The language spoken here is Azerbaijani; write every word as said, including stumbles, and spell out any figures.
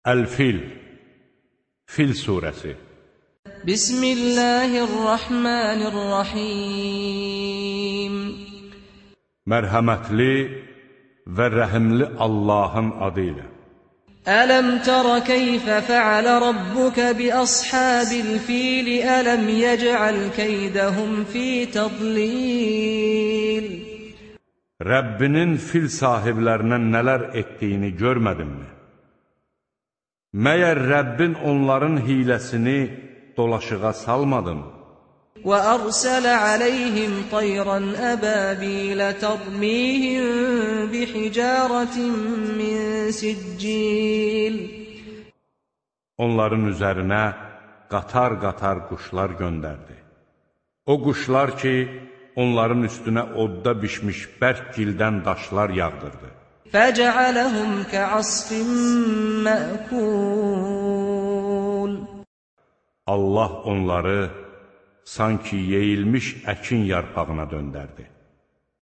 Əl-Fil, Fil surəsi. Bismillahirrahmanirrahim. Mərhəmətli və rəhimli Allahın adı ilə. Ələm tərə keyfə fəalə rabbuka bi ashabil fil, ələm yec'al keydəhum fi tadlil. Rəbbinin fil sahiblərinə nələr etdiyini görmədinmi? Məyər Rəbbin onların hiləsini dolaşığa salmadın? وَأَرْسَلَ عَلَيْهِمْ طَيْرًا أَبَابِيلَ تَرْمِيهِمْ بِحِجَارَةٍ مِّن سِجِّيلٍ. Onların üzərinə qatar-qatar quşlar göndərdi. O quşlar ki, onların üstünə odda bişmiş bərk gildən daşlar yağdırdı. فَجَعَلَهُمْ كَعَصْفٍ مَأْكُولٍ. Allah onları sanki yeyilmiş əkin yarpağına döndərdi.